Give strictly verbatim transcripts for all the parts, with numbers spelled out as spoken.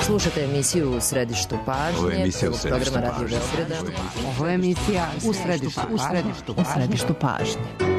Slušate emisiju U središtu pažnje. Ovo je emisija U središtu programa Radio pažnje. Beograda. Ovo je emisija U središtu, u središtu, u središtu pažnje.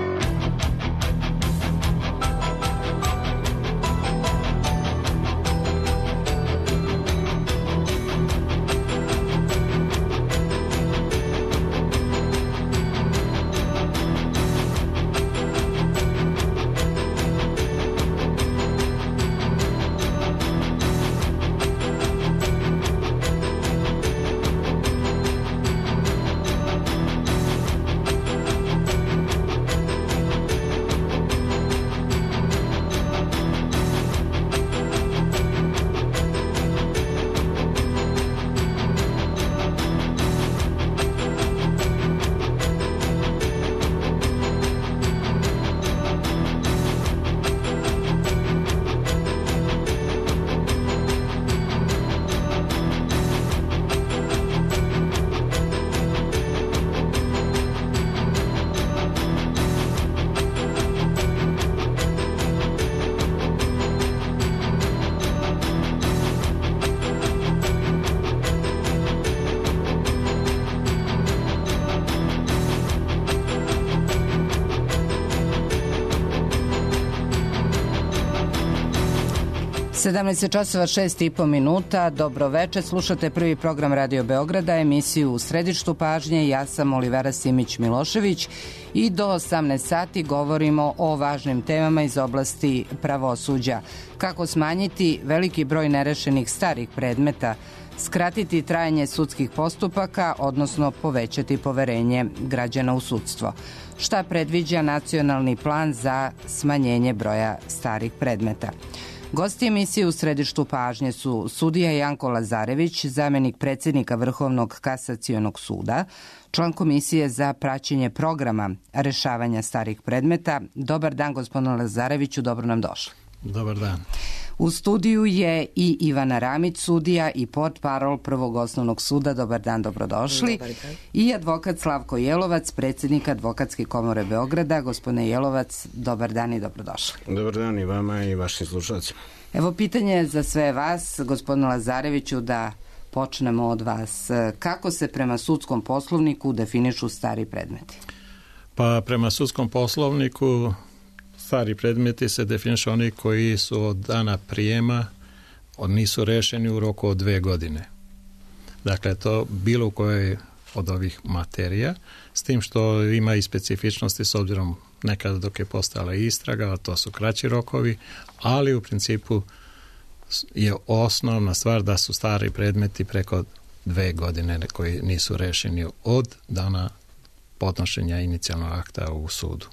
sedamnaest časova šest i po minuta, dobro večer, slušate prvi program Radio Beograda, emisiju U središtu pažnje, ja sam Olivera Simić-Milošević i do osamnaest sati govorimo o važnim temama iz oblasti pravosuđa. Kako smanjiti veliki broj nerešenih starih predmeta, skratiti trajanje sudskih postupaka, odnosno povećati poverenje građana u sudstvo. Šta predviđa nacionalni plan za smanjenje broja starih predmeta? Gosti emisije U središtu pažnje su sudija Janko Lazarević, zamenik predsjednika Vrhovnog kasacionog suda, član Komisije za praćenje programa rešavanja starih predmeta. Dobar dan, gospodine Lazareviću, dobro nam došli. Dobar dan. U studiju je i Ivana Ramić, sudija i portparol Prvog osnovnog suda. Dobar dan, dobrodošli. Dobar dan. I advokat Slavko Jelovac, predsjednik Advokatske komore Beograda. Gospodine Jelovac, dobar dan i dobrodošli. Dobar dan i vama i vašim slušalcima. Evo pitanje za sve vas, gospodine Lazareviću, da počnemo od vas. Kako se prema sudskom poslovniku definišu stari predmeti? Pa prema sudskom poslovniku stari predmeti se definišu oni koji su od dana prijema od nisu rešeni u roku od dve godine. Dakle, to bilo u kojoj od ovih materija, s tim što ima i specifičnosti s obzirom nekada dok je postojala istraga, a to su kraći rokovi, ali u principu je osnovna stvar da su stari predmeti preko dve godine koji nisu rešeni od dana podnošenja inicijalnog akta u sudu.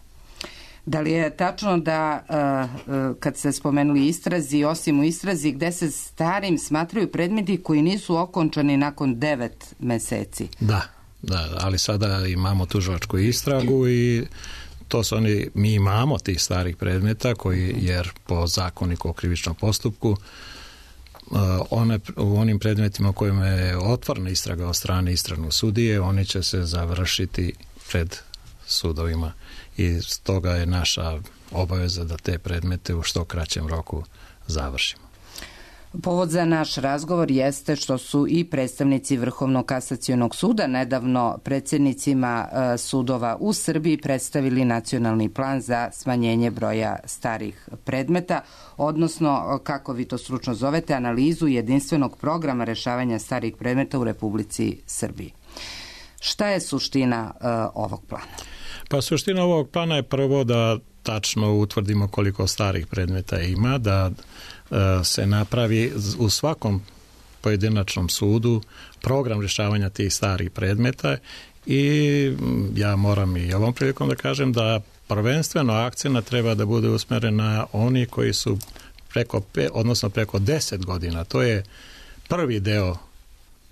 Da li je tačno da uh, kad se spomenuli istrazi, osim u istrazi, gde se starim smatraju predmeti koji nisu okončani nakon devet meseci? Da, da, ali sada imamo tužilačku istragu i to su oni, mi imamo tih starih predmeta koji, jer po zakoniku o krivičnom postupku uh, one, u onim predmetima u kojima je otvorena istraga od strane istragnog sudije, oni će se završiti pred sudovima. I stoga je naša obaveza da te predmete u što kraćem roku završimo. Povod za naš razgovor jeste što su i predstavnici Vrhovnog kasacionog suda nedavno predsjednicima sudova u Srbiji predstavili nacionalni plan za smanjenje broja starih predmeta, odnosno, kako vi to stručno zovete, analizu jedinstvenog programa rešavanja starih predmeta u Republici Srbiji. Šta je suština uh, ovog plana? Pa suština ovog plana je prvo da tačno utvrdimo koliko starih predmeta ima, da uh, se napravi u svakom pojedinačnom sudu program rješavanja tih starih predmeta i ja moram i ovom prilikom da kažem da prvenstveno akcija treba da bude usmjerena oni koji su preko, odnosno preko deset godina. To je prvi deo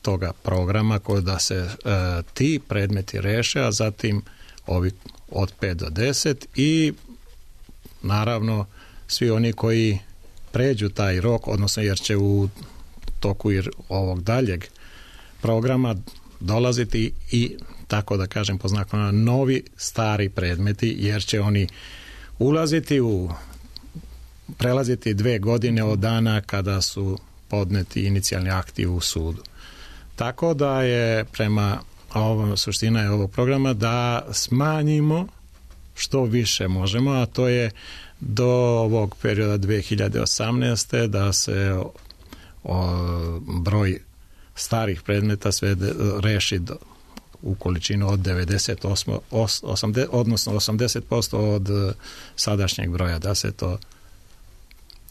toga programa koji da se uh, ti predmeti reše, a zatim ovi od pet do deset i naravno svi oni koji pređu taj rok, odnosno jer će u toku ovog daljeg programa dolaziti i, tako da kažem po znakovima, novi stari predmeti, jer će oni ulaziti u prelaziti dve godine od dana kada su podneti inicijalni akti u sudu. Tako da je prema ovom, suština je ovog programa da smanjimo što više možemo, a to je do ovog perioda dve hiljade osamnaeste da se o, o, broj starih predmeta sve de, reši do, u količinu od devedeset osam, osamdeset, odnosno osamdeset posto od sadašnjeg broja, da se to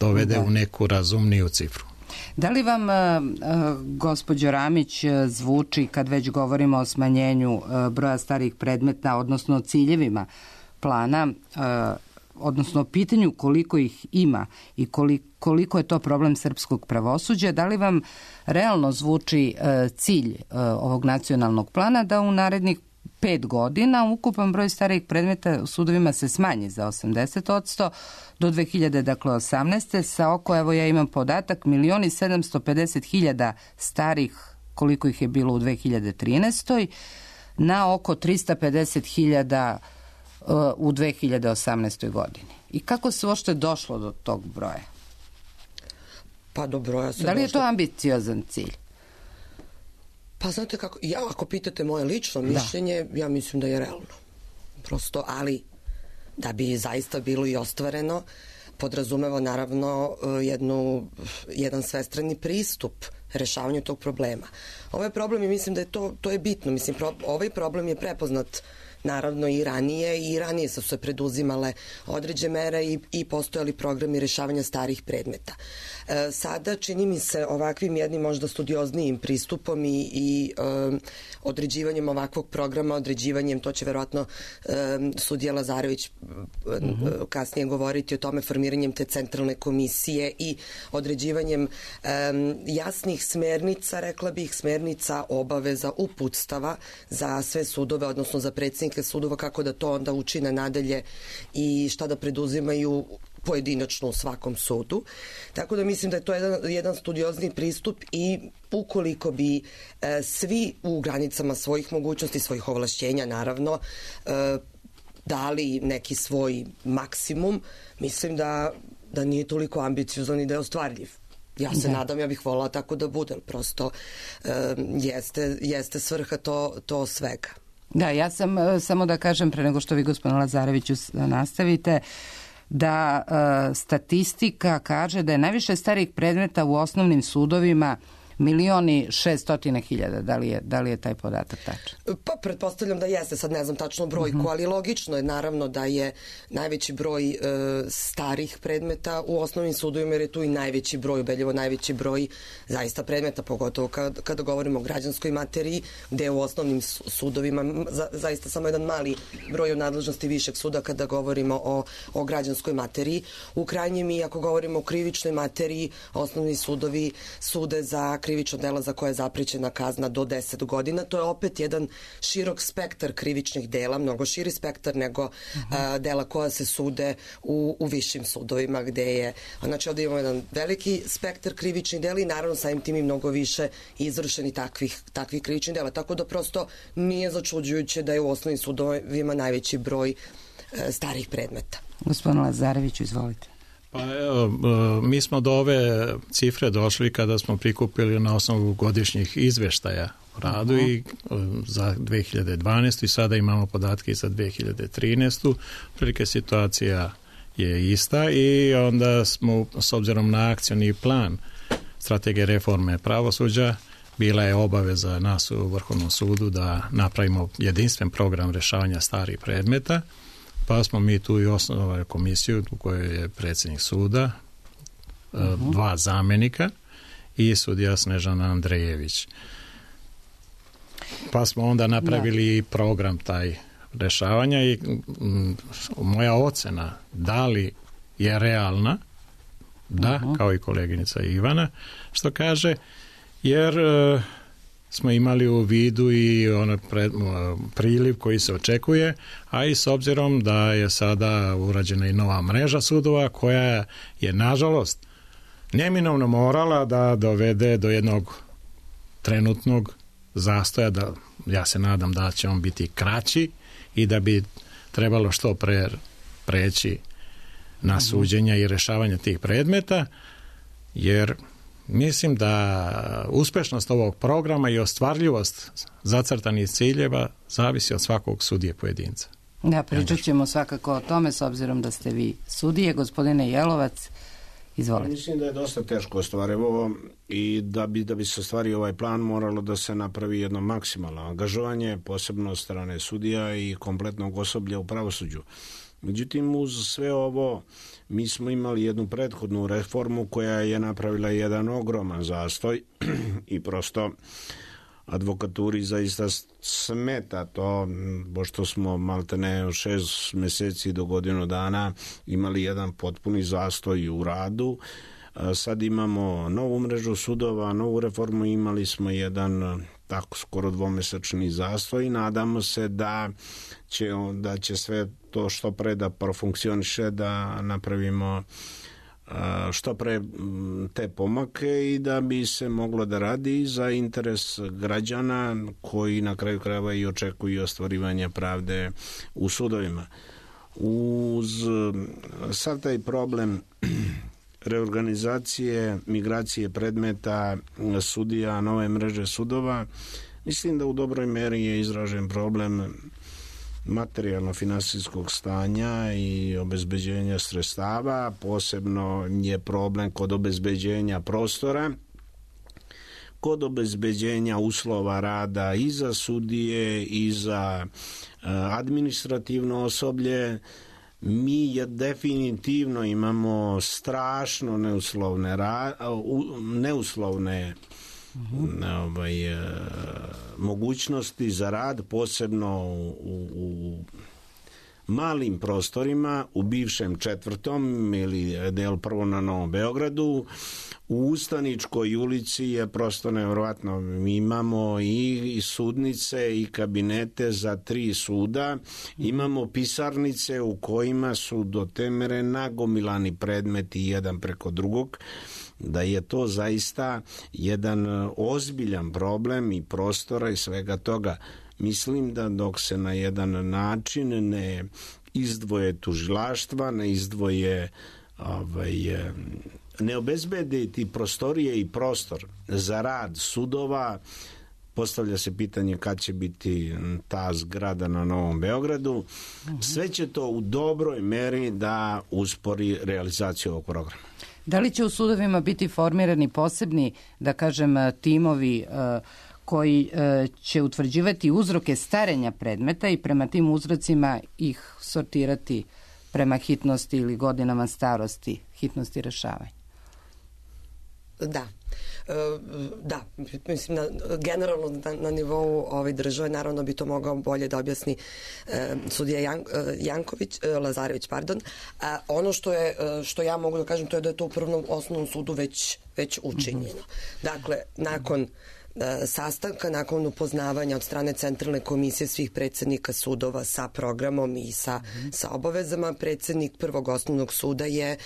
dovede da. u neku razumniju cifru. Da li vam, gospođo Ramić, zvuči, kad već govorimo o smanjenju broja starih predmeta, odnosno ciljevima plana, odnosno o pitanju koliko ih ima i koliko je to problem srpskog pravosuđa, da li vam realno zvuči cilj ovog nacionalnog plana da u narednih pet godina ukupan broj starih predmeta u sudovima se smanji za osamdeset posto do dve hiljade osamnaeste sa oko, evo ja imam podatak, milion i sedamsto pedeset hiljada starih, koliko ih je bilo u dve hiljade trinaestoj na oko trista pedeset hiljada u dve hiljade osamnaestoj godini. I kako se uopšte došlo do tog broja? Pa do broja se Da li je došlo... to ambiciozan cilj? Pa znate kako, ja ako pitate moje lično mišljenje, da. ja mislim da je realno. Prosto, ali da bi zaista bilo i ostvareno, podrazumeva naravno jednu, jedan svestrani pristup rešavanju tog problema. Ovaj problem je, mislim da je to, to je bitno. Mislim, pro, ovaj problem je prepoznat naravno i ranije i ranije su se preduzimale određene mere i, i postojali programi rešavanja starih predmeta. E, sada čini mi se ovakvim jednim možda studioznijim pristupom i, i e, određivanjem ovakvog programa, određivanjem, to će verovatno e, sudija Lazarević mm-hmm. kasnije govoriti o tome, formiranjem te centralne komisije i određivanjem e, jasnih smernica, rekla bih, smernica, obaveza, uputstava za sve sudove, odnosno za predsjednike sudova, kako da to onda učine nadalje i šta da preduzimaju pojedinačno u svakom sudu. Tako da mislim da je to jedan, jedan studiozni pristup i ukoliko bi e, svi u granicama svojih mogućnosti, svojih ovlašćenja naravno, e, dali neki svoj maksimum, mislim da, da nije toliko ambiciozan i da je ostvarljiv. Ja se da. nadam, ja bih volila tako da bude, prosto e, jeste, jeste svrha to, to svega. Da, ja sam, samo da kažem, pre nego što vi, gospodin Lazareviću, nastavite, da e, statistika kaže da je najviše starih predmeta u osnovnim sudovima milioni šeststotine hiljada. Da li je, da li je taj podatak tačan? Pa, pretpostavljam da jeste, sad ne znam tačno brojku, uh-huh. ali logično je naravno da je najveći broj e, starih predmeta u osnovnim sudovima, jer je tu i najveći broj, ubedljivo najveći broj zaista predmeta, pogotovo kada, kada govorimo o građanskoj materiji, gde u osnovnim sudovima za, zaista samo jedan mali broj u nadležnosti višeg suda kada govorimo o, o građanskoj materiji. U krajnjem i ako govorimo o krivičnoj materiji, osnovni sudovi sude za krivično dela za koje je zaprećena kazna do deset godina. To je opet jedan širok spektar krivičnih dela, mnogo širi spektar nego uh-huh. a, dela koja se sude u, u višim sudovima gde je, znači ovdje imamo jedan veliki spektar krivičnih dela i naravno samim tim i mnogo više izvršeni takvih, takvih krivičnih dela. Tako da prosto nije začuđujuće da je u osnovnim sudovima najveći broj e, starih predmeta. Gospodin Lazareviću, izvolite. Pa evo, mi smo do ove cifre došli kada smo prikupili na osnovu godišnjih izveštaja o radu uh-huh. i za dve hiljade dvanaestu i sada imamo podatke i za dve hiljade trinaestu. Prilike situacija je ista i onda smo, s obzirom na akcioni plan strategije reforme pravosuđa, bila je obaveza nas u Vrhovnom sudu da napravimo jedinstven program rešavanja starih predmeta. Pa smo mi tu i osnovali komisiju u kojoj je predsjednik suda, uh-huh. dva zamenika i sudija Snežana Andrejević. Pa smo onda napravili da. program taj rešavanja i m, moja ocena da li je realna, da, uh-huh. kao i koleginica Ivana, što kaže, jer e, smo imali u vidu i ono pred, priliv koji se očekuje, a i s obzirom da je sada urađena i nova mreža sudova koja je nažalost neminovno morala da dovede do jednog trenutnog zastoja, da ja se nadam da će on biti kraći i da bi trebalo što pre preći na suđenja i rešavanje tih predmeta, jer mislim da uspešnost ovog programa i ostvarljivost zacrtanih ciljeva zavisi od svakog sudije pojedinca. Da, pričat ćemo svakako o tome s obzirom da ste vi sudije. Gospodine Jelovac, izvolite. Mislim da je dosta teško ostvarivo i da bi, da bi se ostvario ovaj plan moralo da se napravi jedno maksimalno angažovanje, posebno od strane sudija i kompletnog osoblja u pravosuđu. Međutim, uz sve ovo mi smo imali jednu prethodnu reformu koja je napravila jedan ogroman zastoj i prosto advokaturi zaista smeta to, pošto smo maltene od šest meseci do godinu dana imali jedan potpuni zastoj u radu. Sad imamo novu mrežu sudova, novu reformu, imali smo jedan tako skoro dvomesečni zastoj i nadamo se da će, da će sve to što pre da profunkcioniše, da napravimo što pre te pomake i da bi se moglo da radi za interes građana koji na kraju krajeva i očekuju ostvarivanje pravde u sudovima. Uz sav taj problem reorganizacije, migracije predmeta sudija, nove mreže sudova, mislim da u dobroj meri je izražen problem materijalno-finansijskog stanja i obezbeđenja sredstava. Posebno je problem kod obezbeđenja prostora, kod obezbeđenja uslova rada i za sudije i za administrativno osoblje. Mi je definitivno imamo strašno neuslovne, neuslovne uh-huh. ovaj, e, mogućnosti za rad, posebno u, u malim prostorima, u bivšem četvrtom ili del prvo na Novom Beogradu. U Ustaničkoj ulici je prosto nevjerovatno. Mi imamo i sudnice i kabinete za tri suda, imamo pisarnice u kojima su do te mere nagomilani predmeti jedan preko drugog, da je to zaista jedan ozbiljan problem i prostora i svega toga. Mislim da dok se na jedan način ne izdvoje tužilaštva, ne izdvoje ovaj, ne obezbede ti prostorije i prostor za rad sudova, postavlja se pitanje kad će biti ta zgrada na Novom Beogradu. Sve će to u dobroj meri da uspori realizaciju ovog programa. Da li će u sudovima biti formirani posebni, da kažem, timovi koji će utvrđivati uzroke starenja predmeta i prema tim uzrocima ih sortirati prema hitnosti ili godinama starosti, hitnosti rešavanja? Da. Da, mislim, na, generalno na, na nivou ove države, naravno bi to mogao bolje da objasni e, sudija Jan, e, Janković, e, Lazarević, pardon. A ono što je, što ja mogu da kažem, to je da je to u Prvom osnovnom sudu već, već učinjeno. Mm-hmm. Dakle, nakon sastanka, nakon upoznavanja od strane Centralne komisije svih predsednika sudova sa programom i sa, mm. sa obavezama, predsednik Prvog osnovnog suda je e,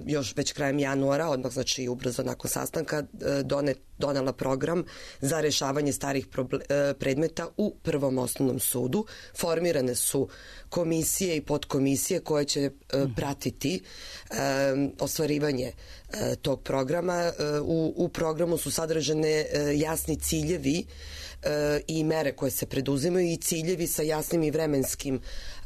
još već krajem januara, odmah znači ubrzo nakon sastanka, e, donet, donela program za rešavanje starih proble, e, predmeta u Prvom osnovnom sudu. Formirane su komisije i podkomisije koje će e, pratiti e, ostvarivanje e, tog programa. E, u, u programu su sadržane e, jasni ciljevi e, i mere koje se preduzimaju i ciljevi sa jasnim i vremenskim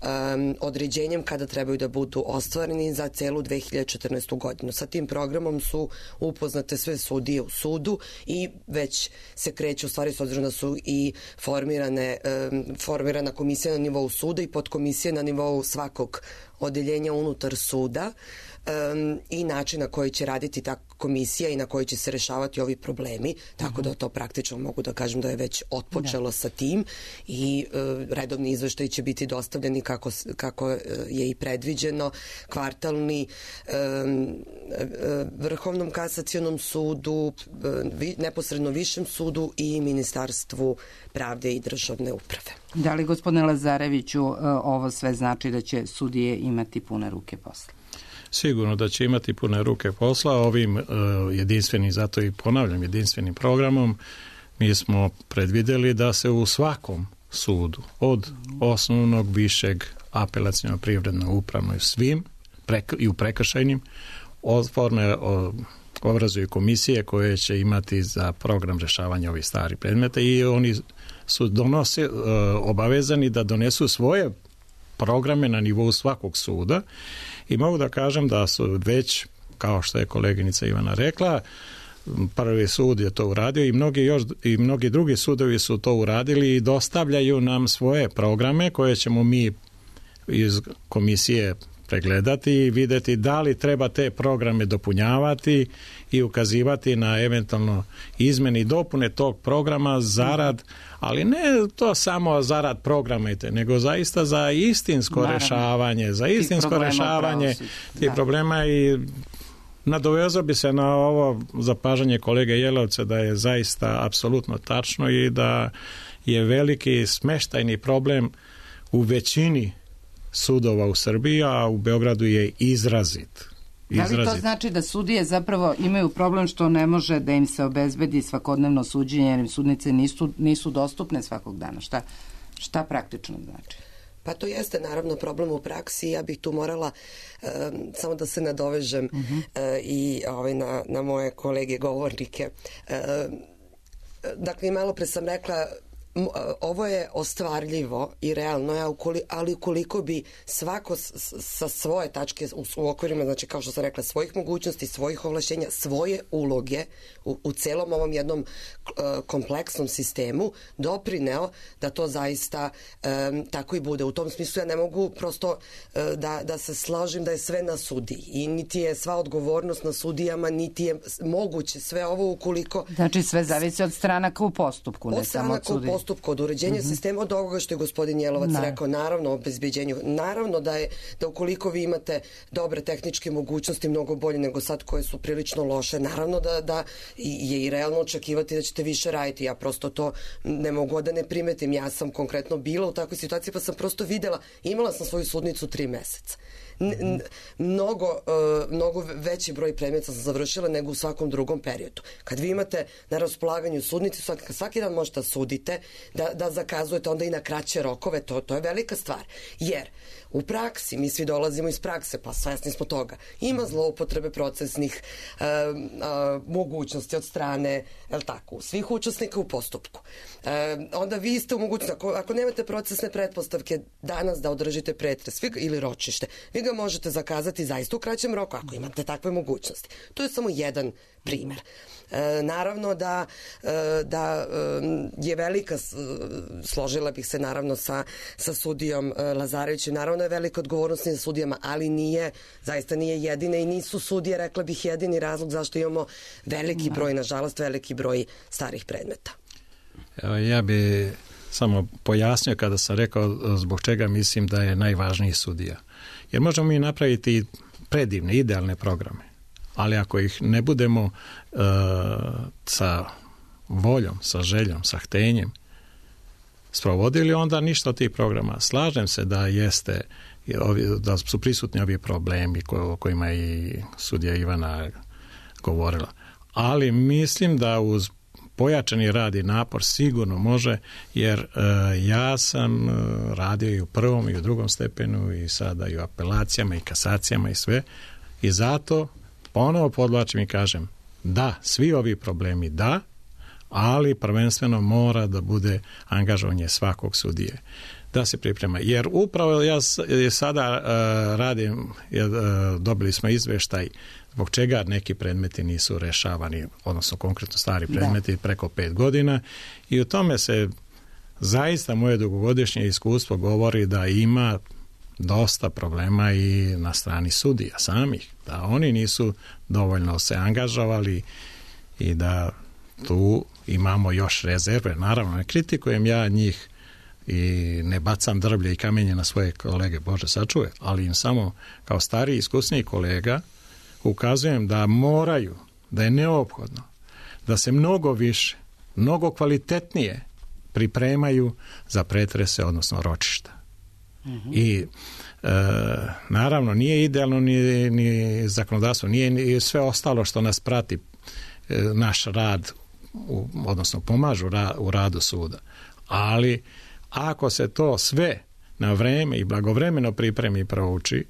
um, određenjem kada trebaju da budu ostvareni za celu dve hiljade četrnaestu. godinu. Sa tim programom su upoznate sve sudije u sudu i već se kreće, u stvari s obzirom da su i formirane, um, formirana komisija na nivou suda i podkomisija na nivou svakog odeljenja unutar suda um, i način na koji će raditi ta komisija i na koji će se rešavati ovi problemi, tako uh-huh. da to praktično mogu da kažem da je već otpočelo da. sa tim i uh, redovni izveštaj će biti dostavljeni kako, kako je i predviđeno, kvartalni um, Vrhovnom kasacionom sudu, vi, neposredno Višem sudu i Ministarstvu pravde i državne uprave. Da li, gospodine Lazareviću, ovo sve znači da će sudije imati pune ruke posla? Sigurno da će imati pune ruke posla. Ovim uh, jedinstvenim, zato i ponavljam, jedinstvenim programom mi smo predvideli da se u svakom sudu, od osnovnog, višeg, apelacionog, privrednog, upravnog, svim prek, i u prekršajnim, forme uh, obrazuju komisije koje će imati za program rješavanja ovih starih predmeta i oni su donose, obavezani da donesu svoje programe na nivou svakog suda i mogu da kažem da su već, kao što je koleginica Ivana rekla, prvi sud je to uradio i mnogi, još, i mnogi drugi sudovi su to uradili i dostavljaju nam svoje programe koje ćemo mi iz komisije pregledati i vidjeti da li treba te programe dopunjavati i ukazivati na eventualno izmene i dopune tog programa zarad, ali ne to samo zarad programa, nego zaista za istinsko Naravno. rešavanje, za istinsko rešavanje tih da. problema i nadovezao bi se na ovo zapažanje kolege Jelovca da je zaista apsolutno tačno i da je veliki smeštajni problem u većini sudova u Srbiji, a u Beogradu je izrazit. izrazit. Da li to znači da sudije zapravo imaju problem što ne može da im se obezbedi svakodnevno suđenje jer im sudnice nisu, nisu dostupne svakog dana? Šta, šta praktično znači? Pa to jeste naravno problem u praksi. Ja bih tu morala um, samo da se nadovežem uh-huh. uh, i ovaj, na, na moje kolege govornike. Uh, dakle, malo pre sam rekla ovo je ostvarljivo i realno, ali ukoliko bi svako sa svoje tačke u okvirima, znači kao što sam rekla, svojih mogućnosti, svojih ovlašćenja, svoje uloge u, u celom ovom jednom kompleksnom sistemu doprineo da to zaista um, tako i bude. U tom smislu ja ne mogu prosto uh, da, da se slažem da je sve na sudiji i niti je sva odgovornost na sudijama, niti je moguće sve ovo ukoliko... Znači sve zavisi od stranaka u postupku, ne samo od sudija. Postupku, od uređenja uh-huh. sistema, od ovoga što je gospodin Jelovac no. rekao, naravno o obezbeđenju, naravno da je da ukoliko vi imate dobre tehničke mogućnosti, mnogo bolje nego sad koje su prilično loše, naravno da, da je i realno očekivati da ćete više raditi. Ja prosto to ne mogu da ne primetim. Ja sam konkretno bila u takvoj situaciji pa sam prosto videla, imala sam svoju sudnicu tri meseca. N- mnogo, uh, mnogo veći broj predmeta sam završila nego u svakom drugom periodu. Kad vi imate na raspolaganju sudnici, svaki, svaki dan možete sudite, da, da zakazujete onda i na kraće rokove, to, to je velika stvar. Jer u praksi, mi svi dolazimo iz prakse, pa svesni smo toga, ima zloupotrebe procesnih uh, uh, mogućnosti od strane, je li tako, svih učesnika u postupku. Uh, onda vi ste u mogućnosti, ako, ako nemate procesne pretpostavke danas da održite pretres ili ročište, vi ga možete zakazati zaista u kraćem roku ako imate takve mogućnosti. To je samo jedan primer. E, naravno da, e, da e, je velika, složila bih se naravno sa, sa sudijom e, Lazarevićem, naravno je velika odgovornost na sudijama, ali nije, zaista nije jedine i nisu sudije, rekla bih, jedini razlog zašto imamo veliki broj, nažalost, veliki broj starih predmeta. Evo, ja bi samo pojasnio kada sam rekao zbog čega mislim da je najvažniji sudija. Jer možemo mi napraviti predivne, idealne programe, ali ako ih ne budemo uh, sa voljom, sa željom, sa htenjem sprovodili, onda ništa od tih programa. Slažem se da jeste, da su prisutni ovi problemi o kojima je i sudija Ivana govorila. Ali mislim da uz pojačani rad i napor sigurno može, jer e, ja sam e, radio i u prvom i u drugom stepenu i sada i u apelacijama i kasacijama i sve i zato ponovo podvlačim i kažem da, svi ovi problemi da, ali prvenstveno mora da bude angažovanje svakog sudije da se priprema, jer upravo ja sada uh, radim, uh, dobili smo izveštaj zbog čega neki predmeti nisu rešavani, odnosno konkretno stari predmeti da. preko pet godina i u tome se zaista moje dugogodišnje iskustvo govori da ima dosta problema i na strani sudija samih, da oni nisu dovoljno se angažovali i da tu imamo još rezerve. Naravno, ne kritikujem ja njih i ne bacam drvlje i kamenje na svoje kolege, Bože sačuvaj, ali im samo kao stariji iskusniji kolega ukazujem da moraju, da je neophodno, da se mnogo više, mnogo kvalitetnije pripremaju za pretrese, odnosno ročišta. Mm-hmm. I e, naravno nije idealno ni, ni zakonodavstvo, nije ni sve ostalo što nas prati e, naš rad, u, odnosno pomažu ra, u radu suda. Ali ako se to sve na vreme i blagovremeno pripremi i prouči,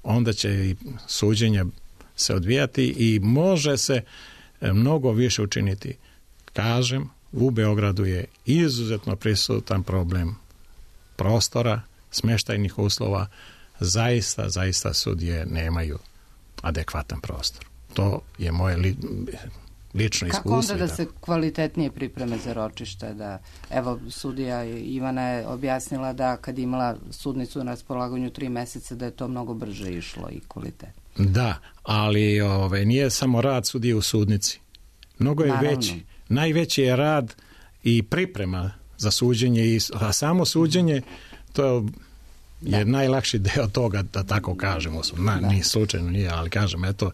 onda će i suđenje se odvijati i može se mnogo više učiniti. Kažem, u Beogradu je izuzetno prisutan problem prostora, smještajnih uslova, zaista, zaista sudije nemaju adekvatan prostor. To je moje li, lično iskustvo. Kako onda da se kvalitetnije pripreme za ročište? Da, evo, sudija Ivana je objasnila da kad imala sudnicu na raspolaganju tri meseca, da je to mnogo brže išlo i kvalitetno. Da, ali ove, nije samo rad sudije u sudnici. Mnogo je Naravno. veći. Najveći je rad i priprema za suđenje, a samo suđenje to je je da. najlakši deo toga, da tako kažemo. Na, nije slučajno, nije, ali kažem, eto,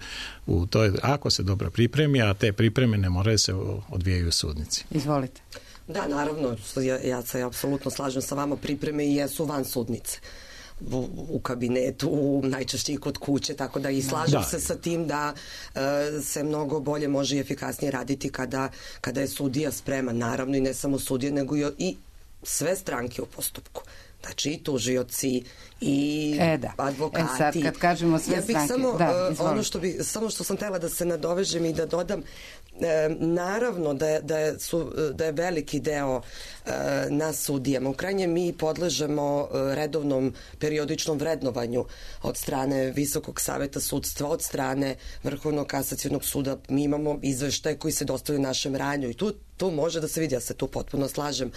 u toj, ako se dobro pripremi, a te pripreme ne moraju se odvijaju u sudnici. Izvolite. Da, naravno, ja, ja se apsolutno slažem sa vama, pripreme i jesu van sudnice. U, u kabinetu, u, najčešće i kod kuće, tako da i slažem da. se sa tim da e, se mnogo bolje može i efikasnije raditi kada, kada je sudija spreman, naravno i ne samo sudija, nego i, i sve stranke u postupku. Znači i tužioci i e, da. advokati. E sad, kad kažemo sve ja bih stranke, samo, da, uh, ono što bi, samo što sam htjela da se nadovežem i da dodam, e, naravno da je, da, je, su, da je veliki deo e, nas sudijama. U krajnje mi podležemo redovnom periodičnom vrednovanju od strane Visokog saveta sudstva, od strane Vrhovnog kasacionog suda. Mi imamo izveštaje koji se dostavljaju našem ranju i tu tu može da se vidi, ja se tu potpuno slažem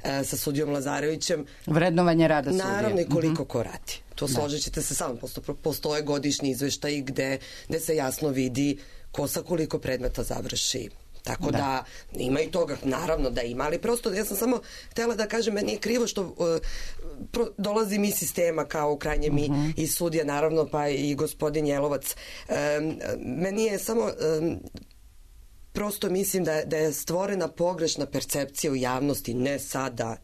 e, sa sudijom Lazarevićem. Vrednovanje rada sudije. Naravno i koliko uh-huh. ko radi. To složit ćete se samo. Postoje godišnji izveštaji gde, gde se jasno vidi ko sa koliko predmeta završi. Tako da. da ima i toga, naravno da ima, ali prosto ja sam samo htjela da kažem, meni je krivo što uh, pro, dolazim iz sistema kao u krajnje mi uh-huh. iz sudija, naravno, pa i gospodin Jelovac. Um, meni je samo... Um, prosto mislim da, da je stvorena pogrešna percepcija u javnosti, ne sada,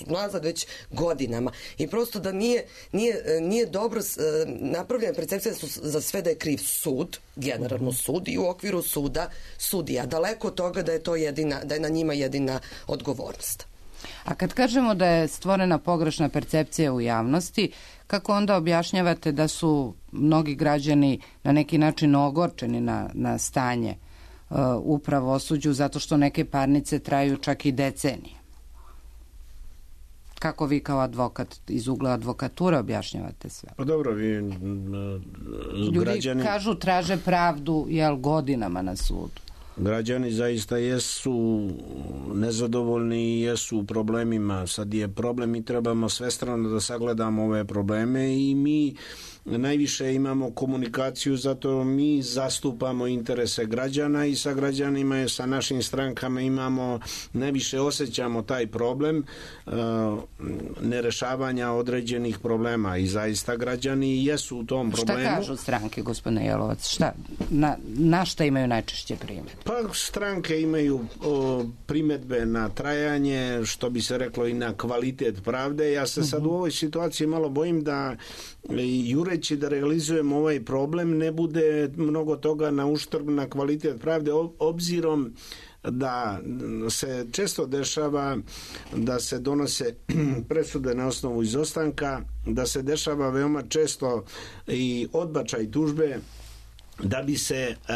nazad već godinama. I prosto da nije, nije, nije dobro napravljena percepcija da su za sve da je kriv sud, generalno sud i u okviru suda sudija. Daleko od toga da je to jedina, da je na njima jedina odgovornost. A kad kažemo da je stvorena pogrešna percepcija u javnosti, kako onda objašnjavate da su mnogi građani na neki način ogorčeni na, na stanje u pravosuđu, zato što neke parnice traju čak i decenije? Kako vi kao advokat iz ugla advokature objašnjavate sve? Pa dobro, vi Ljudi građani... kažu traže pravdu jel, godinama na sudu. Građani zaista jesu nezadovoljni i jesu u problemima. Sad je problem i trebamo svestrano da sagledamo ove probleme i mi najviše imamo komunikaciju, zato mi zastupamo interese građana i sa građanima i sa našim strankama imamo, najviše osjećamo taj problem uh, nerešavanja određenih problema i zaista građani jesu u tom problemu. Šta kažu stranke, gospodine Jelovac? Šta, na, na šta imaju najčešće primjedbe? Pa stranke imaju o, primjedbe na trajanje, što bi se reklo i na kvalitet pravde. Ja se sad uh-huh. u ovoj situaciji malo bojim da jureći da realizujemo ovaj problem ne bude mnogo toga na uštrb na kvalitet pravde, obzirom da se često dešava da se donose presude na osnovu izostanka, da se dešava veoma često i odbačaj tužbe da bi se uh,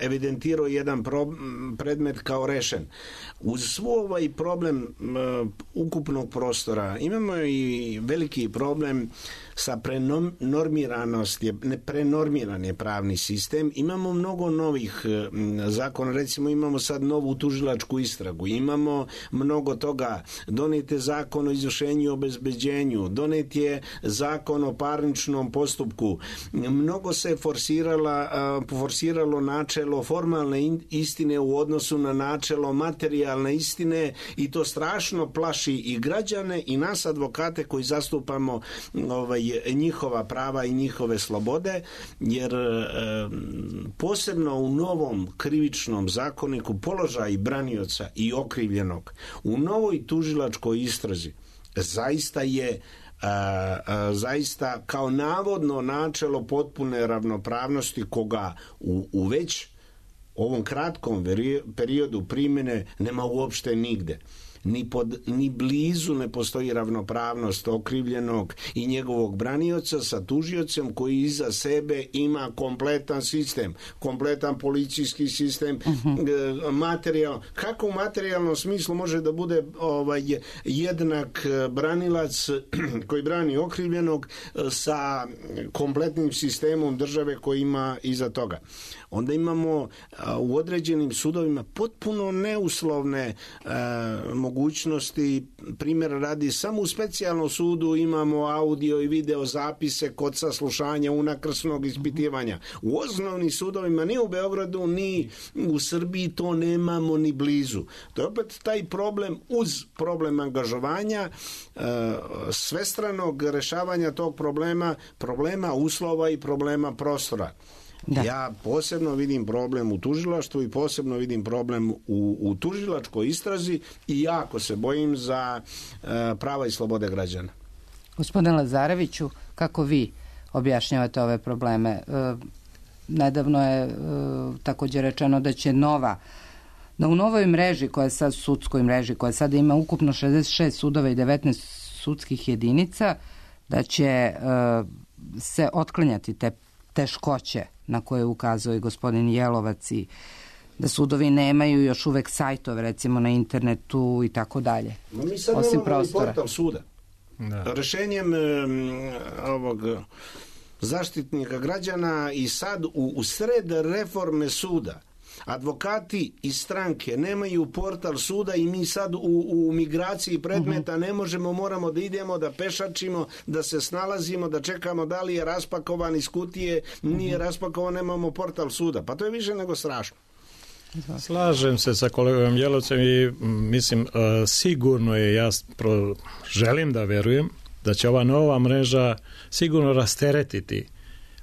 evidentirao jedan pro, predmet kao rešen. Uz svo ovaj problem uh, ukupnog prostora imamo i veliki problem sa prenormiranosti, ne prenormiran je pravni sistem. Imamo mnogo novih uh, zakona, recimo imamo sad novu tužilačku istragu, imamo mnogo toga, donet je zakon o izvršenju i obezbeđenju, donet je zakon o parničnom postupku, mnogo se forsira forsiralo načelo formalne istine u odnosu na načelo materijalne istine i to strašno plaši i građane i nas advokate koji zastupamo ovaj, njihova prava i njihove slobode, jer eh, posebno u novom krivičnom zakoniku položaj branioca i okrivljenog u novoj tužilačkoj istrazi zaista je A, a, zaista kao navodno načelo potpune ravnopravnosti koga u, u već ovom kratkom periodu primjene nema uopšte nigde. ni, pod, ni blizu ne postoji ravnopravnost okrivljenog i njegovog branioca sa tužiocem koji iza sebe ima kompletan sistem, kompletan policijski sistem, uh-huh. materijal. Kako u materijalnom smislu može da bude ovaj, jednak branilac koji brani okrivljenog sa kompletnim sistemom države koji ima iza toga? Onda imamo a, u određenim sudovima potpuno neuslovne a, mogućnosti. Primjer radi, samo u specijalnom sudu imamo audio i video zapise kod saslušanja unakrsnog ispitivanja. U osnovnim sudovima ni u Beogradu ni u Srbiji to nemamo ni blizu. To je opet taj problem uz problem angažovanja, a, svestranog rešavanja tog problema, problema uslova i problema prostora. Da. Ja posebno vidim problem u tužilaštvu i posebno vidim problem u, u tužilačkoj istrazi i jako se bojim za e, prava i slobode građana. Gospodine Lazareviću, kako vi objašnjavate ove probleme? E, nedavno je e, također rečeno da će nova, da u novoj mreži, koja je sad sudskoj mreži, koja sad ima ukupno šezdeset šest sudova i devetnaest sudskih jedinica, da će e, se otklanjati te teškoće na koje ukazuje gospodin Jelovac i da sudovi nemaju još uvek sajtove, recimo na internetu i tako dalje. Mi sad osim nemamo prostora. i portal suda. Da. Rešenjem um, ovog zaštitnika građana i sad u, u sred reforme suda advokati i stranke nemaju portal suda i mi sad u, u migraciji predmeta uh-huh. ne možemo, moramo da idemo, da pešačimo, da se snalazimo, da čekamo da li je raspakovan iz kutije, nije uh-huh. raspakovan, nemamo portal suda. Pa to je više nego strašno. Slažem se sa kolegom Jelovcem i mislim uh, sigurno je, ja pro, želim da verujem da će ova nova mreža sigurno rasteretiti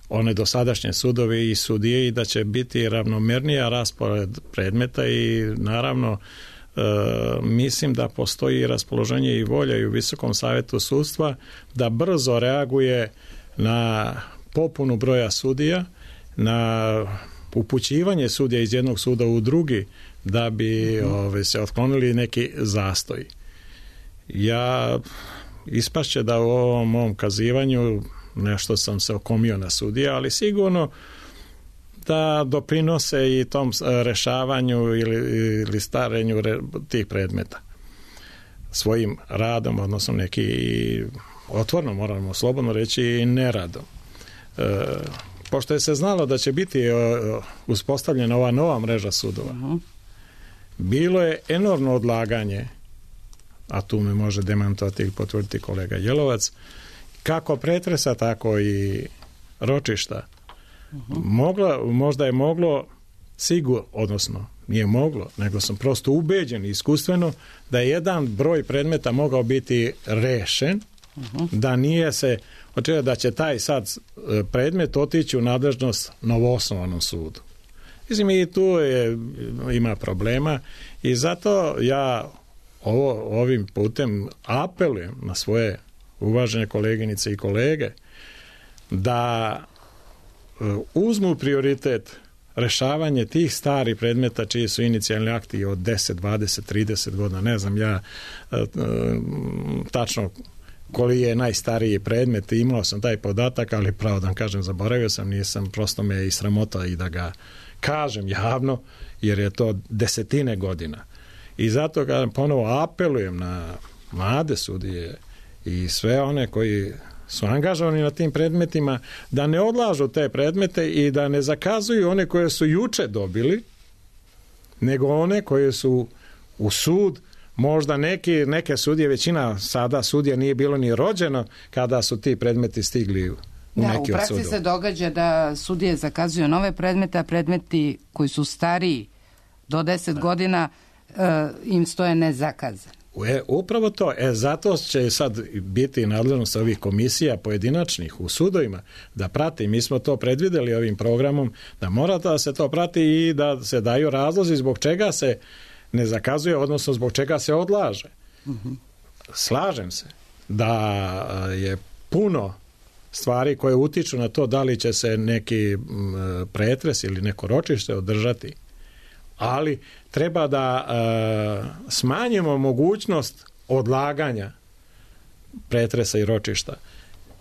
one dosadašnje sudovi i sudije i da će biti ravnomernija raspored predmeta i naravno e, mislim da postoji raspoloženje i volja i u Visokom savetu sudstva da brzo reaguje na popunu broja sudija, na upućivanje sudija iz jednog suda u drugi da bi ove, se otklonili neki zastoji. Ja ispašće da u ovom mom kazivanju nešto sam se okomio na sudije, ali sigurno da doprinose i tom rešavanju ili, ili starenju re, tih predmeta svojim radom, odnosno neki otvorno, moramo slobodno reći, i neradom. E, pošto je se znalo da će biti e, uspostavljena ova nova mreža sudova, uh-huh. bilo je enormno odlaganje, a tu me može demantovati i potvrditi kolega Jelovac, kako pretresa, tako i ročišta. Uh-huh. Mogla, možda je moglo sigurno, odnosno nije moglo, nego sam prosto ubeđen iskustveno da je jedan broj predmeta mogao biti rešen, uh-huh. da nije se očekivalo da će taj sad predmet otići u nadležnost novoosnovanom sudu. Mislim, i tu je, ima problema i zato ja ovo, ovim putem apelujem na svoje uvažene koleginice i kolege da uzmu prioritet rešavanje tih starih predmeta čiji su inicijalni akti od deset, dvadeset, trideset godina, ne znam ja tačno koji je najstariji predmet, imao sam taj podatak, ali pravo da vam kažem, zaboravio sam, nisam, prosto me i sramota i da ga kažem javno, jer je to desetine godina. I zato kažem, ponovo apelujem na mlade sudije i sve one koji su angažovani na tim predmetima da ne odlažu te predmete i da ne zakazuju one koje su juče dobili, nego one koje su u sud, možda neki, neke sudije, većina sada sudija nije bilo ni rođeno kada su ti predmeti stigli u da, neki od sudova. U praksi se događa da sudije zakazuju nove predmete, a predmeti koji su stariji do deset da. godina uh, im stoje nezakazani. E, upravo to. E, zato će sad biti nadležnost ovih komisija pojedinačnih u sudovima da prati. Mi smo to predvideli ovim programom, da mora da se to prati i da se daju razlozi zbog čega se ne zakazuje, odnosno zbog čega se odlaže. Uh-huh. Slažem se da je puno stvari koje utiču na to da li će se neki pretres ili neko ročište održati ali treba da e, smanjimo mogućnost odlaganja pretresa i ročišta.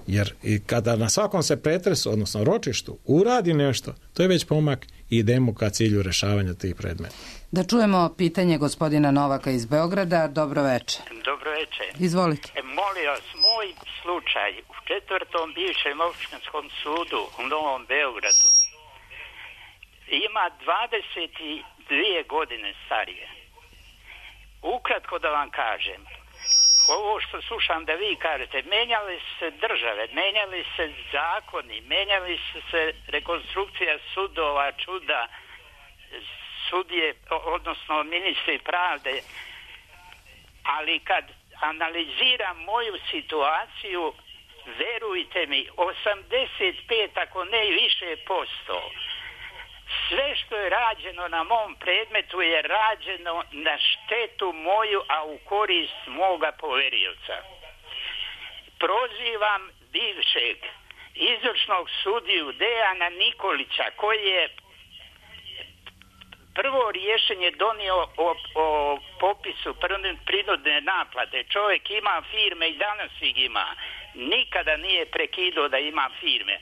Jer i kada na svakom se pretresu, odnosno ročištu, uradi nešto, to je već pomak i idemo ka cilju rešavanja tih predmeta. Da čujemo pitanje gospodina Novaka iz Beograda. Dobro veče. Dobro veče. Izvolite. E, molim vas, moj slučaj u četvrtom bivšem opštinskom sudu u Novom Beogradu ima dvadeset dvije godine starije. Ukratko da vam kažem, ovo što slušam da vi kažete, menjali se države, menjali se zakoni, menjali su se rekonstrukcija sudova, čuda, sudije, odnosno ministri pravde, ali kad analiziram moju situaciju, verujte mi, osamdeset pet ako ne i više posto, sve što je rađeno na mom predmetu je rađeno na štetu moju, a u korist moga poverioca. Prozivam bivšeg izvršnog sudiju Dejana Nikolića, koji je prvo rješenje donio o, o popisu prinudne naplate. Čovjek ima firme i danas ih ima. Nikada nije prekidao da ima firme.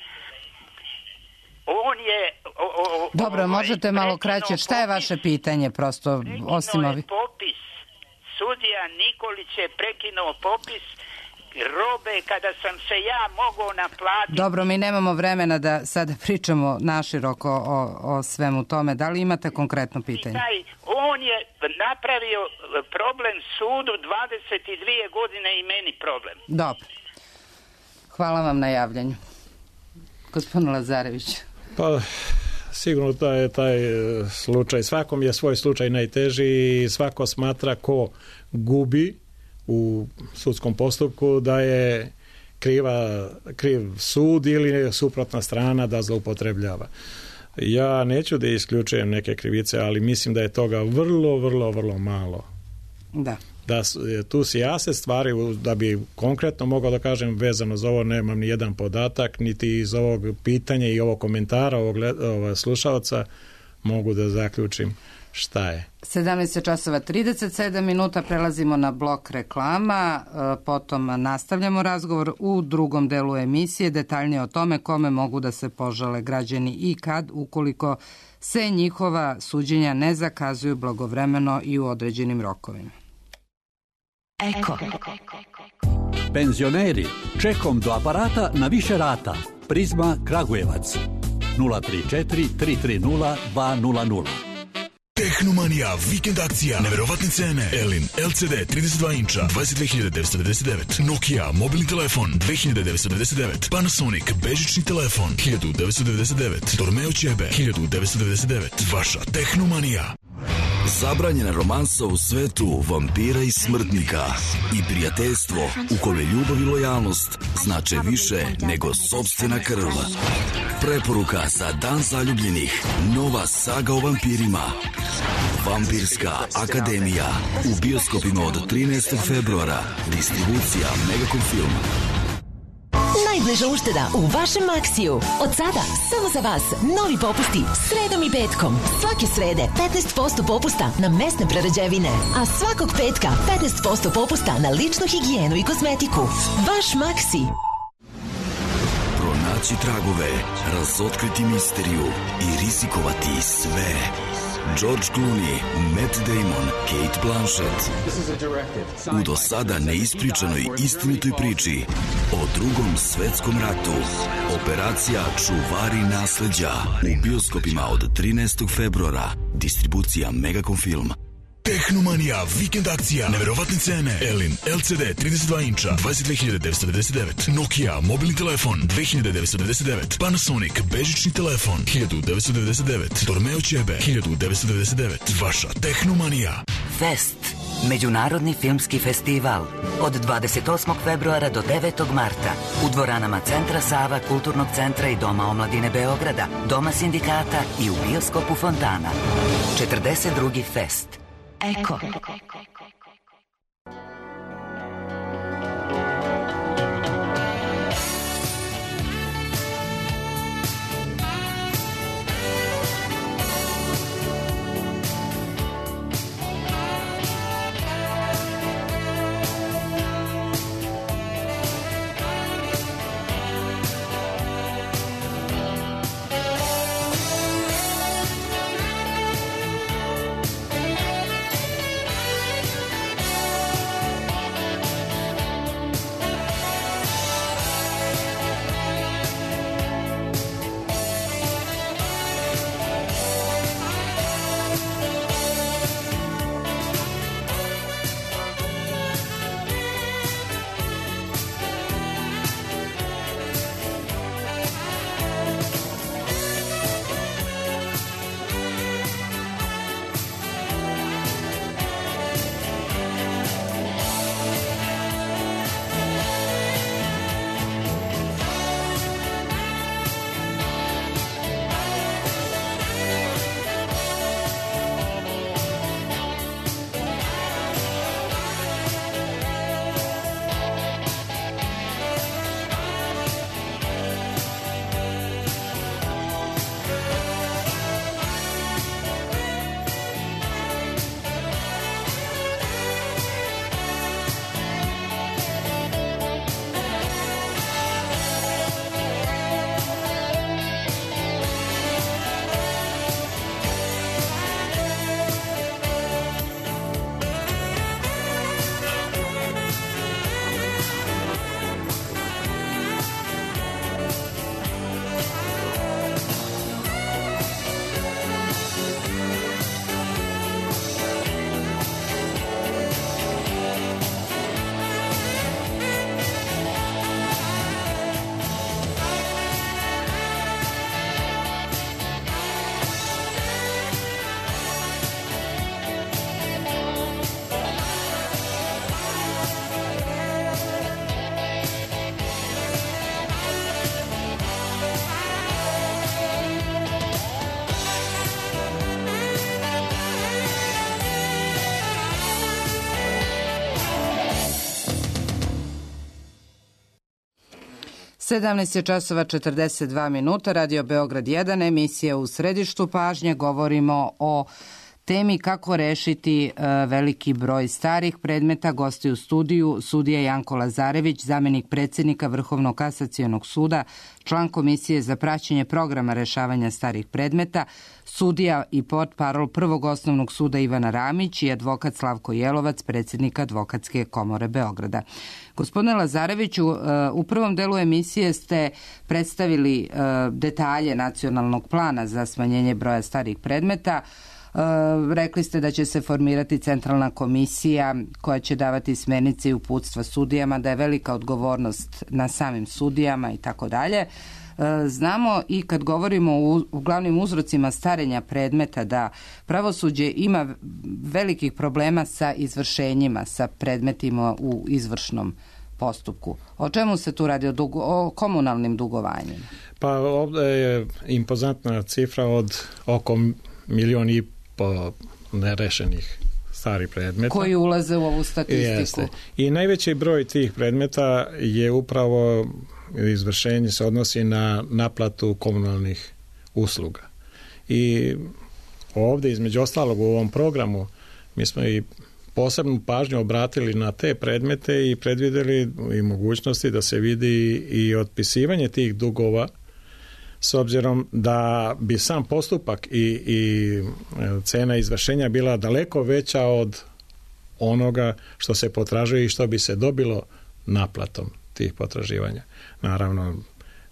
On je... O, o, Dobro, ovaj, možete malo kraće. Šta je vaše pitanje, prosto, osim ovih? Popis. Sudija Nikolić je prekinuo popis robe kada sam se ja mogao naplatiti. Dobro, mi nemamo vremena da sada pričamo naširoko o, o svemu tome. Da li imate konkretno pitanje? On je napravio problem sudu dvadeset dvije godine i meni problem. Dobro. Hvala vam na javljanju. Gospodin Lazarević. Pa, sigurno da je taj slučaj, svakom je svoj slučaj najteži i svako smatra ko gubi u sudskom postupku da je kriva, kriv sud ili suprotna strana da zloupotrebljava. Ja neću da isključujem neke krivice, ali mislim da je toga vrlo, vrlo, vrlo malo. Da. Da tu se jase stvari, da bi konkretno mogao da kažem vezano za ovo, nemam ni jedan podatak, niti iz ovog pitanja i ovog komentara ovog, ovog slušalca mogu da zaključim šta je. sedamnaest časova trideset sedam minuta, prelazimo na blok reklama, potom nastavljamo razgovor u drugom delu emisije, detaljnije o tome kome mogu da se požale građani i kad, ukoliko se njihova suđenja ne zakazuju blagovremeno i u određenim rokovima. Eko. Penzioneri, čekom do aparata na više rata. Prizma Kragujevac. nula tri četiri tri tri nula dva nula nula. Tehnomanija, vikend akcija, neverovatne cene. Elin, L C D trideset dva inča, dvadeset dve hiljade devetsto devedeset devet. Nokia, mobilni telefon, dve hiljade devetsto devedeset devet. Panasonic, bežični telefon, hiljadu devetsto devedeset devet. Dormeo Ćebe, hiljadu devetsto devedeset devet. Vaša Tehnomanija. Zabranjena romansa u svetu vampira i smrtnika i prijateljstvo u kome ljubav i lojalnost znače više nego sopstvena krv. Preporuka za Dan zaljubljenih. Nova saga o vampirima. Vampirska akademija. U bioskopima od trinaestog februara. Distribucija Megacom Film. Najbliža ušteda u vašem Maxiju. Od sada, samo za vas, novi popusti sredom i petkom. Svake srede petnaest posto popusta na mesne prerađevine, a svakog petka petnaest posto popusta na ličnu higijenu i kozmetiku. Vaš Maxi. Pronaći tragove, razotkriti misteriju i rizikovati sve. George Clooney, Matt Damon, Kate Blanchett. U do sada neispričanoj istinitoj priči o drugom svetskom ratu. Operacija Čuvari nasleđa. U bioskopima od trinaestog februara. Distribucija Megacom Film. Tehnomanija, vikend akcija, neverovatne cene. Elin, L C D trideset dva inča, dvadeset dve hiljade devetsto devedeset devet. Nokia, mobilni telefon, dve hiljade devetsto devedeset devet. Panasonic, bežični telefon, hiljadu devetsto devedeset devet. Dormeo Ćebe, hiljadu devetsto devedeset devet. Vaša Tehnomanija. Fest. Međunarodni filmski festival. Od dvadeset osmog februara do devetog marta. U dvoranama Centra Sava, Kulturnog centra i Doma omladine Beograda, Doma sindikata i u bioskopu Fontana. četrdeset drugi Fest. Eko. sedamnaest je časova četrdeset dva minuta, Radio Beograd jedan, emisija U središtu pažnje. Govorimo o temi kako rešiti e, veliki broj starih predmeta. Gosti u studiju sudija Janko Lazarević, zamenik predsjednika Vrhovnog kasacionog suda, član Komisije za praćenje programa rešavanja starih predmeta, sudija i portparol Prvog osnovnog suda Ivana Ramić i advokat Slavko Jelovac, predsjednik Advokatske komore Beograda. Gospodine Lazareviću, u prvom delu emisije ste predstavili detalje nacionalnog plana za smanjenje broja starih predmeta. Rekli ste da će se formirati centralna komisija koja će davati smernice i uputstva sudijama, da je velika odgovornost na samim sudijama i tako dalje. Znamo i kad govorimo o glavnim uzrocima starenja predmeta da pravosuđe ima velikih problema sa izvršenjima, sa predmetima u izvršnom postupku. O čemu se tu radi? O, dugo, o komunalnim dugovanjima? Pa ovdje je impozantna cifra od oko milion i po nerešenih starih predmeta. Koji ulaze u ovu statistiku. Jeste. I najveći broj tih predmeta je upravo izvršenje se odnosi na naplatu komunalnih usluga. I ovdje između ostalog u ovom programu mi smo i posebnu pažnju obratili na te predmete i predvidjeli i mogućnosti da se vidi i otpisivanje tih dugova, s obzirom da bi sam postupak i, i cena izvršenja bila daleko veća od onoga što se potražuje i što bi se dobilo naplatom tih potraživanja. Naravno,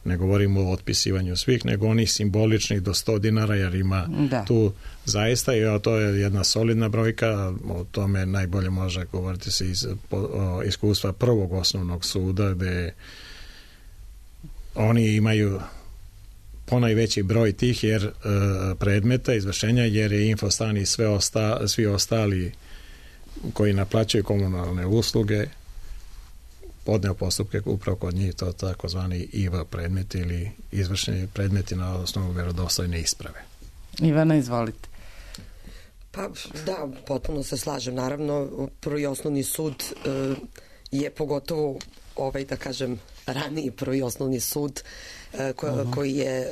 ne govorimo o otpisivanju svih, nego onih simboličnih do sto dinara, jer ima da. Tu zaista, i to je jedna solidna brojka, o tome najbolje može govoriti se iz o, iskustva Prvog osnovnog suda, gde oni imaju ponajveći broj tih jer e, predmeta izvršenja, jer je Infostan i sve osta, svi ostali koji naplaćuju komunalne usluge podneo postupke upravo kod njih, to takozvani I V predmet ili izvršeni predmeti na osnovu vjerodostojne isprave. Ivana, izvolite. Pa da, potpuno se slažem. Naravno, Prvi osnovni sud e, je pogotovo ovaj, da kažem, raniji Prvi osnovni sud Ko, uh-huh. koji je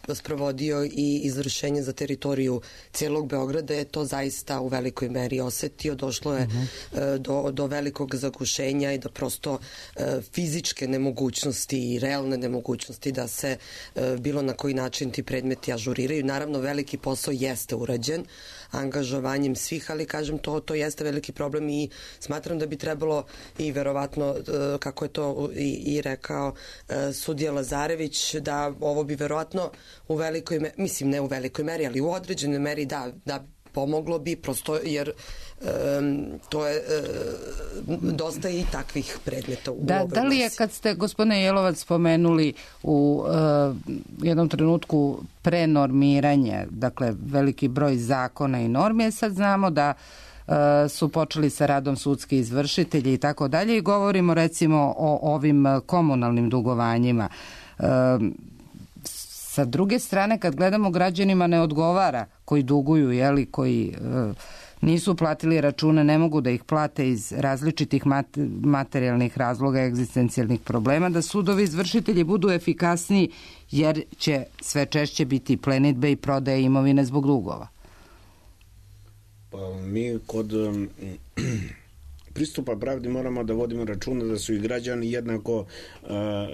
uh, sprovodio i izvršenje za teritoriju cijelog Beograda, je to zaista u velikoj meri osetio. Došlo je uh-huh. uh, do, do velikog zagušenja i do prosto uh, fizičke nemogućnosti i realne nemogućnosti da se uh, bilo na koji način ti predmeti ažuriraju. Naravno, veliki posao jeste urađen angažovanjem svih, ali kažem, to, to jeste veliki problem i smatram da bi trebalo i verovatno, uh, kako je to i, i rekao uh, sudija Lazarević, da ovo bi verovatno u velikoj meri, mislim ne u velikoj meri, ali u određenoj meri da, da pomoglo bi, prosto jer um, to je um, dosta i takvih predmeta u da, ovoj Da li je, kad ste, gospodine Jelovac, spomenuli u uh, jednom trenutku prenormiranje, dakle veliki broj zakona i normi, sad znamo da uh, su počeli sa radom sudski izvršitelji i tako dalje, i govorimo recimo o ovim komunalnim dugovanjima. Sa druge strane, kad gledamo, građanima ne odgovara koji duguju, jeli, koji e, nisu platili račune, ne mogu da ih plate iz različitih mat, materijalnih razloga, egzistencijalnih problema, da sudovi izvršitelji budu efikasniji, jer će sve češće biti plenidbe i prodaje imovine zbog dugova. Pa mi kod pristupa pravdi moramo da vodimo računa da su i građani jednako,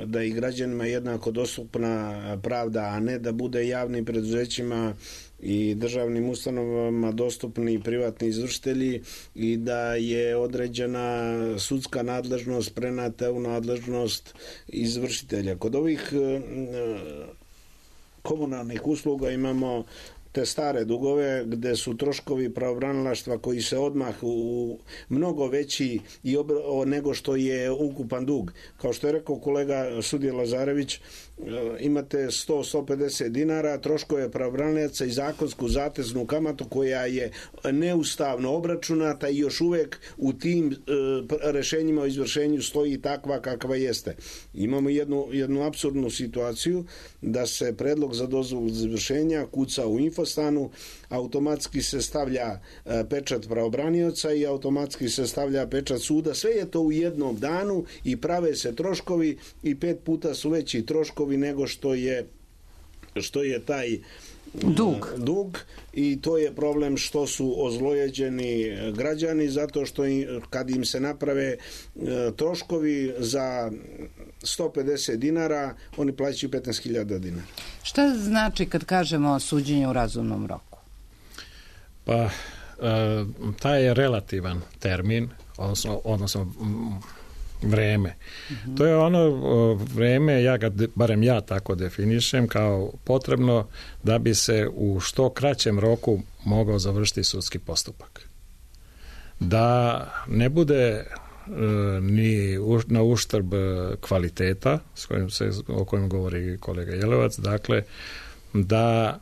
da i građanima jednako dostupna pravda, a ne da bude javnim preduzećima i državnim ustanovama dostupni privatni izvršitelji i da je određena sudska nadležnost prenata u nadležnost izvršitelja. Kod ovih komunalnih usluga imamo te stare dugove gde su troškovi pravobranilaštva koji se odmah u mnogo veći i obra, nego što je ukupan dug. Kao što je rekao kolega sudija Lazarević, imate sto do sto pedeset dinara, troškove pravobranilaca i zakonsku zateznu kamatu koja je neustavno obračunata i još uvek u tim e, rešenjima o izvršenju stoji takva kakva jeste. Imamo jednu, jednu apsurdnu situaciju da se predlog za dozvolu izvršenja kuca u info ostanu, automatski se stavlja pečat pravobranioca i automatski se stavlja pečat suda. Sve je to u jednom danu i prave se troškovi i pet puta su veći troškovi nego što je što je taj dug. dug i to je problem što su ozlojeđeni građani zato što im, kad im se naprave e, troškovi za sto pedeset dinara, oni plaćaju petnaest hiljada dinara. Šta znači kad kažemo suđenje u razumnom roku? Pa, e, taj je relativan termin, odnosno, odnosno vreme. Mm-hmm. To je ono vreme, ja ga, barem ja tako definišem, kao potrebno da bi se u što kraćem roku mogao završiti sudski postupak. Da ne bude e, ni u, na uštrb kvaliteta s kojim se, o kojem govori kolega Jelevac, dakle da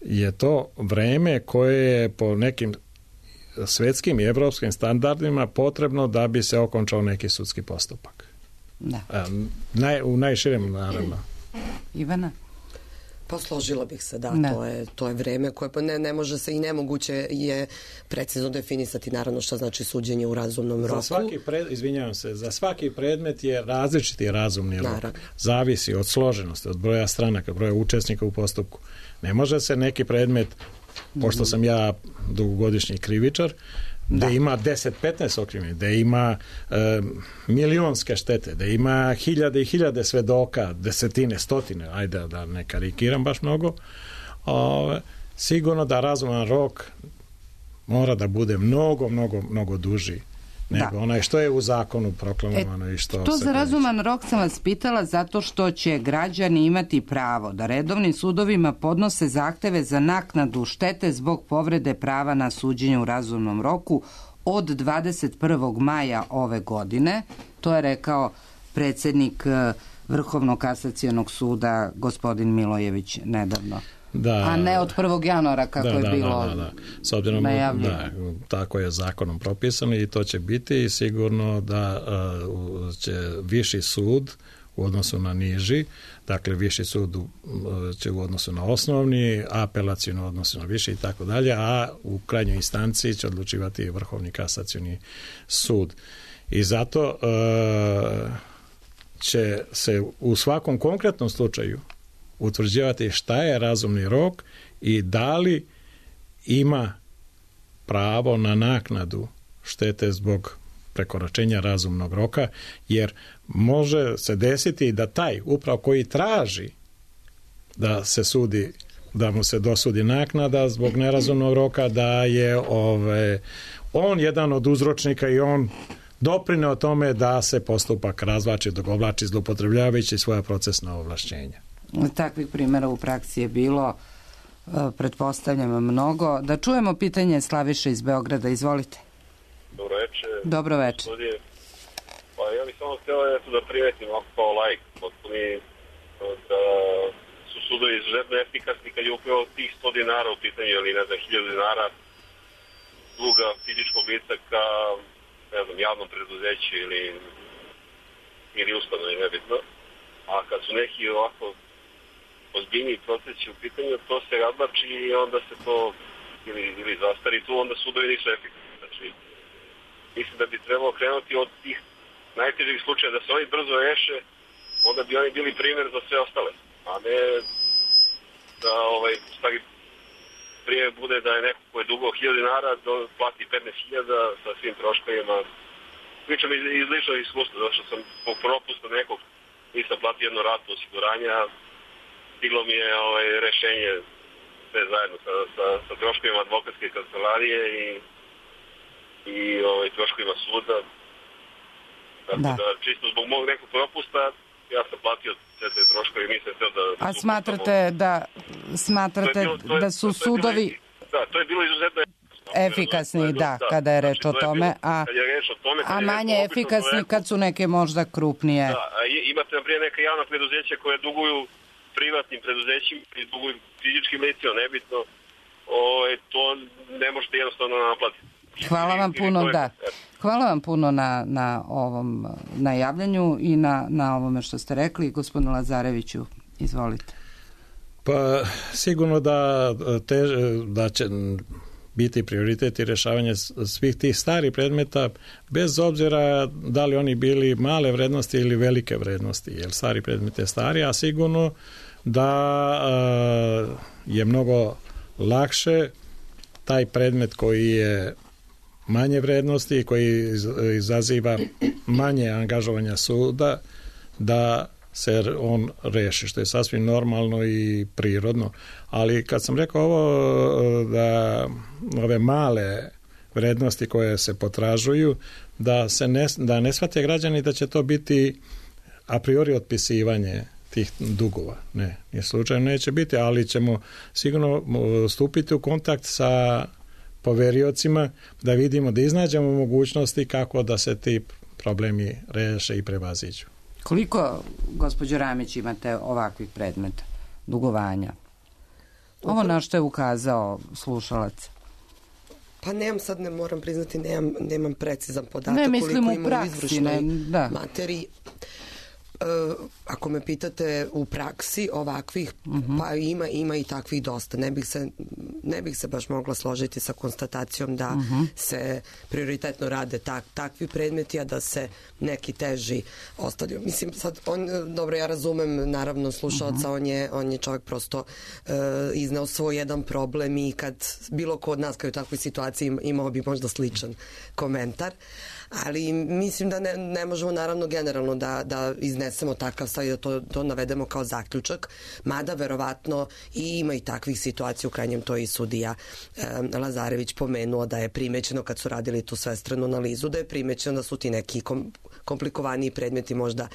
je to vreme koje je po nekim svetskim i evropskim standardima potrebno da bi se okončao neki sudski postupak. Da. Naj, u najširem, naravno. Ivana? Pa složila bih se, da, da. To, je, to je vreme koje pa ne, ne može se i nemoguće je precizno definisati naravno šta znači suđenje u razumnom roku. Za svaki pred, izvinjavam se, za svaki predmet je različiti razumni rok. Naravno. Zavisi od složenosti, od broja stranaka, broja učesnika u postupku. Ne može se neki predmet, pošto sam ja dugogodišnji krivičar, da ima deset petnaest okrivljenih, da ima e, milionske štete, da ima hiljade i hiljade svedoka, desetine, stotine, ajde da ne karikiram baš mnogo, o, sigurno da razuman rok mora da bude mnogo, mnogo, mnogo duži nego da. Onaj što je u zakonu proklamovano. E, i što to se za razuman rok sam vas pitala zato što će građani imati pravo da redovnim sudovima podnose zahteve za naknadu štete zbog povrede prava na suđenje u razumnom roku od dvadeset prvog maja ove godine. To je rekao predsjednik Vrhovnog kasacionog suda gospodin Milojević nedavno. Da, a ne od prvog januara kako da, je da, bilo da, da, da. S obzirom, da, tako je zakonom propisano i to će biti i sigurno da uh, će viši sud u odnosu na niži, dakle viši sud uh, će u odnosu na osnovni, apelacijno u odnosu na viši i tako dalje, a u krajnjoj instanciji će odlučivati Vrhovni kasacioni sud. I zato uh, će se u svakom konkretnom slučaju utvrđivati šta je razumni rok i da li ima pravo na naknadu štete zbog prekoračenja razumnog roka, jer može se desiti da taj upravo koji traži da se sudi, da mu se dosudi naknada zbog nerazumnog roka, da je ove, on jedan od uzročnika i on doprineo tome da se postupak razvlači, dogovlači, zloupotrebljavajući svoja procesna ovlašćenja. Takvih primjera u praksi je bilo, pretpostavljam, mnogo. Da čujemo pitanje Slaviše iz Beograda. Izvolite. Dobro večer. Dobro večer. Pa ja bih samo htio eto, da primetim ovako kao lajk, potpuni da su sudovi izuzetno efikasni kad je upravo tih sto dinara u pitanju ili ne znam, hiljadu dinara duga fizičkog lica ka ne znam, javnom preduzeću ili, ili ustanovi, nebitno. A kad su neki ovako ozbiljniji procesi u pitanju, to se razlači i onda se to ili, ili zastari tu, onda sudovi nisu efikasni. Znači, mislim da bi trebalo krenuti od tih najtežih slučaja, da se oni brzo reše, onda bi oni bili primjer za sve ostale. A ne da ovaj, stvari primjer bude da je neko ko je dugo hiljadu dinara do plati petnaest hiljada sa svim troškovima. Pričam iz, iz ličnog iskustva, zato što sam po propustu nekog nisam platio jednu ratu osiguranja, stiglo mi je ovaj, rešenje sve zajedno sa, sa, sa troškovima advokatske kancelarije i, i ovaj, troškovima suda. Tako da. da čisto zbog mog nekog propusta ja sam platio sve te troškove i nisam htio da... A smatrate da, smatrate bilo, je, da su sudovi... Da, to je bilo izuzetno efikasni, da, da, kada je reč znači, o tome, bilo, a, je reč o tome, a manje efikasni kad su neke možda krupnije. Da, a imate naprijed neka javna preduzeća koje duguju privatnim preduzećima i duguju fizičkim licima, nebitno, o, to ne možete jednostavno naplatiti. Hvala vam puno, da. Hvala vam puno na, na ovom najavljanju i na, na ovome što ste rekli. Gospodinu Lazareviću, izvolite. Pa sigurno da, te, da će biti prioritet i rješavanje svih tih starih predmeta, bez obzira da li oni bili male vrednosti ili velike vrednosti, jer stari predmet je stari, a sigurno da je mnogo lakše taj predmet koji je manje vrednosti, koji izaziva manje angažovanja suda, da se on reši, što je sasvim normalno i prirodno. Ali kad sam rekao ovo, da ove male vrednosti koje se potražuju, da se ne, da ne shvate građani da će to biti a priori otpisivanje tih dugova. Ne, je slučajno neće biti, ali ćemo sigurno stupiti u kontakt sa poveriocima da vidimo, da iznađemo mogućnosti kako da se ti problemi reše i prevaziđu. Koliko, gospođo Ramić, imate ovakvih predmeta, dugovanja? Ovo na što je ukazao slušalac. Pa nemam sad, ne moram priznati, nemam, nemam precizan podatak. Ne, mislim koliko u praksi, ne, da. Materiji. Uh, ako me pitate u praksi ovakvih, uh-huh. pa ima, ima i takvih dosta. Ne bih se, ne bih se baš mogla složiti sa konstatacijom da uh-huh. se prioritetno rade tak, takvi predmeti, a da se neki teži ostavljaju. Mislim, sad, on, dobro, ja razumem, naravno, slušalca, uh-huh. on, je, on je čovjek prosto uh, izneo svoj jedan problem i kad bilo ko od nas kao u takvoj situaciji imao bi možda sličan komentar. Ali mislim da ne, ne možemo naravno generalno da, da iznesemo takav stav i da to, to navedemo kao zaključak, mada verovatno i ima i takvih situacija, u krajnjem to i sudija e, Lazarević pomenuo da je primećeno kad su radili tu svestranu analizu, da je primećeno da su ti neki kom, komplikovaniji predmeti možda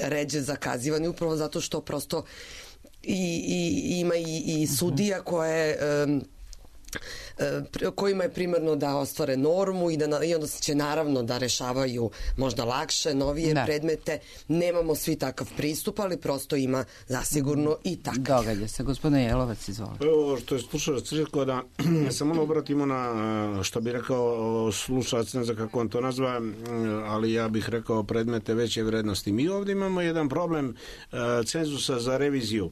ređe zakazivani upravo zato što prosto i, i, ima i, i sudija koje e, kojima je primarno da ostvare normu i, da, i onda će naravno da rešavaju možda lakše, novije da. predmete. Nemamo svi takav pristup, ali prosto ima zasigurno i takav. Događa se. Gospodine Jelovac, izvolite. Evo što je slušalac rekao, da se malo obratimo na, što bi rekao slušalac, ne znam kako on to nazva, ali ja bih rekao predmete veće vrednosti. Mi ovdje imamo jedan problem uh, cenzusa za reviziju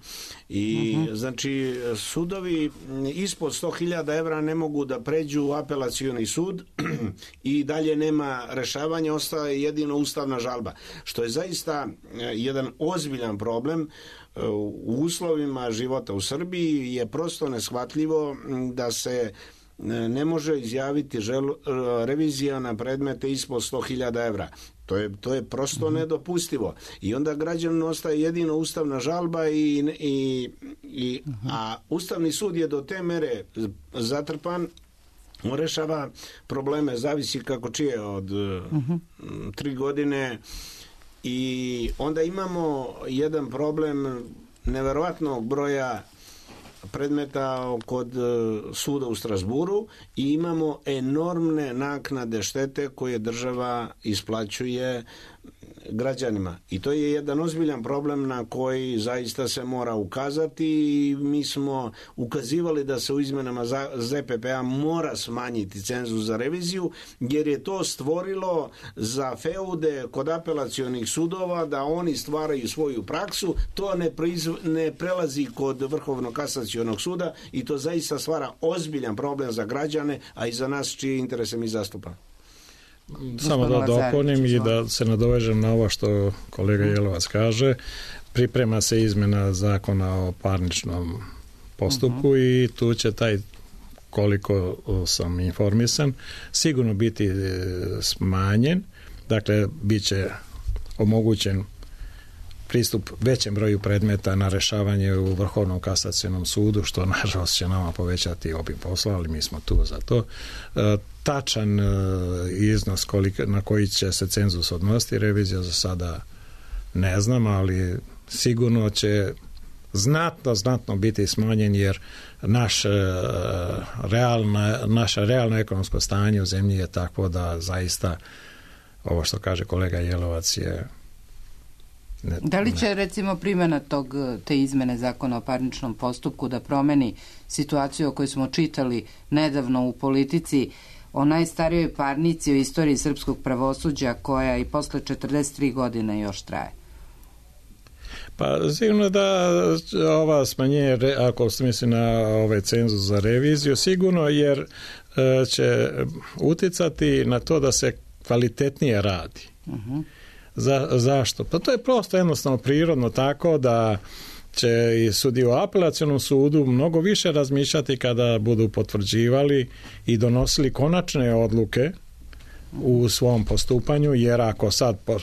i uh-huh. znači sudovi ispod sto hiljada evra ne mogu da pređu u apelacioni sud i dalje nema rešavanja, ostaje jedino ustavna žalba, što je zaista jedan ozbiljan problem. U uslovima života u Srbiji je prosto neshvatljivo da se ne može izjaviti žel, revizija na predmete ispod sto hiljada evra. To je, to je prosto mm-hmm. nedopustivo. I onda građaninu ostaje jedino ustavna žalba i, i, i mm-hmm. a Ustavni sud je do te mere zatrpan, on rešava probleme, zavisi kako čije od mm-hmm. tri godine i onda imamo jedan problem neverovatnog broja predmeta kod suda u Strasburu i imamo enormne naknade štete koje država isplaćuje građanima. I to je jedan ozbiljan problem na koji zaista se mora ukazati i mi smo ukazivali da se u izmenama Z P P-a mora smanjiti cenzus za reviziju, jer je to stvorilo za feude kod apelacionih sudova da oni stvaraju svoju praksu, to ne, proizv... ne prelazi kod Vrhovnog kasacionog suda i to zaista stvara ozbiljan problem za građane, a i za nas čije interese mi zastupamo. Samo da dopunim i da se nadovežem na ovo što kolega Jelovac kaže. Priprema se izmjena zakona o parničnom postupku uh-huh. i tu će taj, koliko sam informisan, sigurno biti smanjen. Dakle, bit će omogućen pristup većem broju predmeta na rešavanje u Vrhovnom kasacionom sudu, što nažalost će nama povećati obim posla, ali mi smo tu za to. E, tačan e, iznos koliko, na koji će se cenzus odnositi revizija za sada ne znam, ali sigurno će znatno, znatno biti smanjen, jer naš, e, realna, naše realno ekonomsko stanje u zemlji je takvo da zaista ovo što kaže kolega Jelovac je Ne, da li će ne. recimo primjena tog, te izmene zakona o parničnom postupku da promeni situaciju o kojoj smo čitali nedavno u Politici o najstarijoj parnici u istoriji srpskog pravosuđa koja i posle četrdeset tri godine još traje? Pa sigurno da ova smanjenje, ako se misli na ovaj cenzus za reviziju, sigurno jer će uticati na to da se kvalitetnije radi. Uh-huh. Za, zašto? Pa to je prosto jednostavno prirodno tako da će i sudije u apelacionom sudu mnogo više razmišljati kada budu potvrđivali i donosili konačne odluke u svom postupanju, jer ako sad po,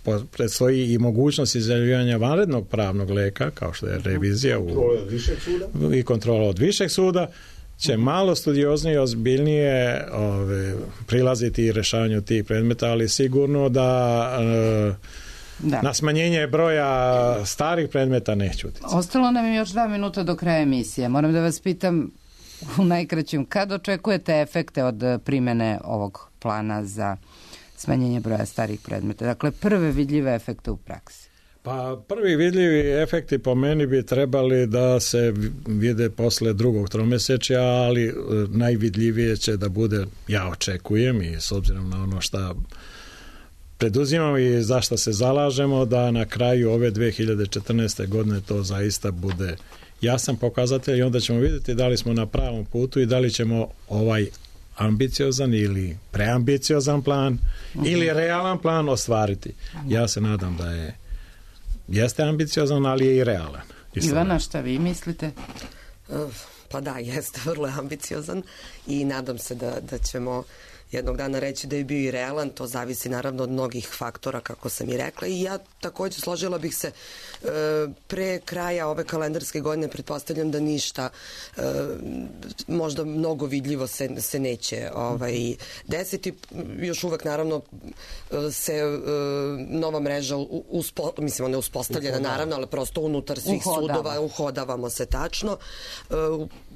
po, predstoji i mogućnost izjavljivanja vanrednog pravnog leka, kao što je revizija u, i kontrola od višeg suda, će malo studioznije i ozbiljnije ove, prilaziti i rješavanju tih predmeta, ali sigurno da, e, da. na smanjenje broja starih predmeta neće utjecati. Ostalo nam je još dva minuta do kraja emisije. Moram da vas pitam u najkraćem, kad očekujete efekte od primjene ovog plana za smanjenje broja starih predmeta? Dakle, prve vidljive efekte u praksi. Pa prvi vidljivi efekti po meni bi trebali da se vide posle drugog tromesečja, ali najvidljivije će da bude, ja očekujem i s obzirom na ono što preduzimamo i za što se zalažemo, da na kraju ove dve hiljade četrnaeste. godine to zaista bude jasan pokazatelj i onda ćemo vidjeti da li smo na pravom putu i da li ćemo ovaj ambiciozan ili preambiciozan plan uh-huh. ili realan plan ostvariti. Ja se nadam da je jeste ambiciozan, ali je i realan. Ivana, šta vi mislite? Pa da, jeste vrlo ambiciozan i nadam se da, da ćemo jednog dana reći da je bio i realan. To zavisi naravno od mnogih faktora, kako sam i rekla, i ja također složila bih se e, pre kraja ove kalendarske godine, pretpostavljam da ništa e, možda mnogo vidljivo se, se neće ovaj, desiti. Još uvek naravno se e, nova mreža uspo, mislim ona je uspostavljena uhodava. Naravno, ali prosto unutar svih uhodava. sudova uhodavamo se tačno. E,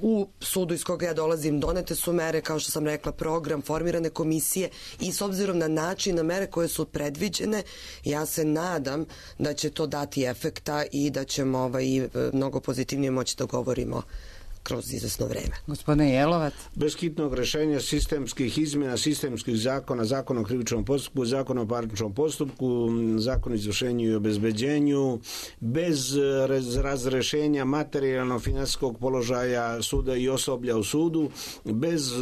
u sudu iz koga ja dolazim donete su mere, kao što sam rekla, program, formirane komisije i s obzirom na način, na mere koje su predviđene, ja se nadam da će to dati efekta i da ćemo ovaj, mnogo pozitivnije moći da govorimo kroz izvesno vreme. Gospodine Jelovac. Bez hitnog rešenja sistemskih izmjena, sistemskih zakona, zakon o krivičnom postupku, zakon o parničnom postupku, zakon o izvršenju i obezbeđenju, bez razrešenja materijalno-finansijskog položaja suda i osoblja u sudu, bez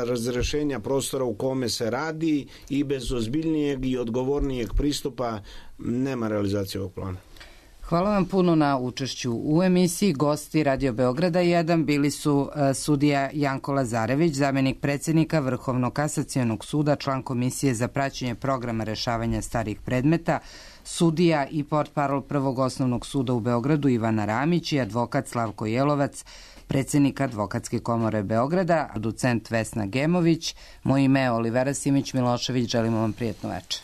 razrešenja prostora u kome se radi i bez ozbiljnijeg i odgovornijeg pristupa nema realizacije ovog plana. Hvala vam puno na učešću u emisiji. Gosti Radio Beograda jedan bili su uh, sudija Janko Lazarević, zamjenik predsjednika Vrhovnog kasacionog suda, član Komisije za praćenje programa rešavanja starih predmeta, sudija i portparol Prvog osnovnog suda u Beogradu Ivana Ramić i advokat Slavko Jelovac, predsjednik Advokatske komore Beograda, docent Vesna Gemović. Moje ime je Olivera Simić Milošević. Želimo vam prijetno večer.